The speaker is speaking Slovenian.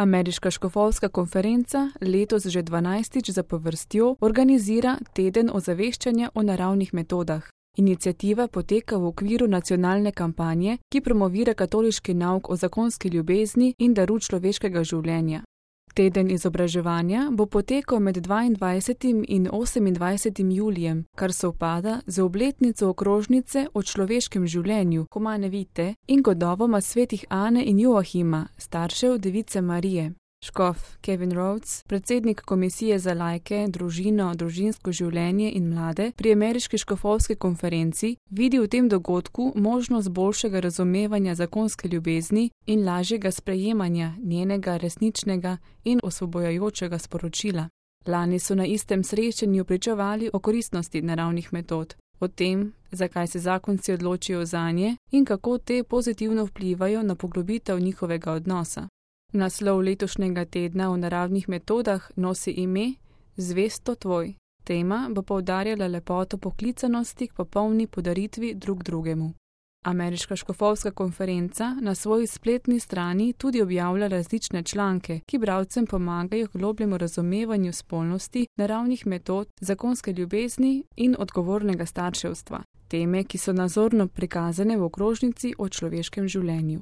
Ameriška škofovska konferenca letos že 12. zapovrstjo organizira teden ozaveščanja o naravnih metodah. Iniciativa poteka v okviru nacionalne kampanje, ki promovira katoliški nauk o zakonski ljubezni in daru človeškega življenja. Teden izobraževanja bo potekal med 22. in 28. julijem, kar sovpada z obletnico okrožnice o človeškem življenju Humane Vitae in godovoma svetih Ane in Joachima, staršev Device Marije. Škof Kevin Rhodes, predsednik Komisije za laike, družino, družinsko življenje in mlade pri Ameriški škofovski konferenci, vidi v tem dogodku možnost boljšega razumevanja zakonske ljubezni in lažjega sprejemanja njenega resničnega in osvobojajočega sporočila. Lani so na istem srečanju pričevali o koristnosti naravnih metod, o tem, zakaj se zakonci odločijo zanje in kako te pozitivno vplivajo na poglobitev njihovega odnosa. Naslov letošnjega tedna o naravnih metodah nosi ime Zvesto tvoj. Tema bo poudarjala lepoto poklicanosti k popolni podaritvi drug drugemu. Ameriška škofovska konferenca na svoji spletni strani tudi objavlja različne članke, ki bralcem pomagajo k globljemu razumevanju spolnosti, naravnih metod, zakonske ljubezni in odgovornega starševstva. Teme, ki so nazorno prikazane v okrožnici o človeškem življenju.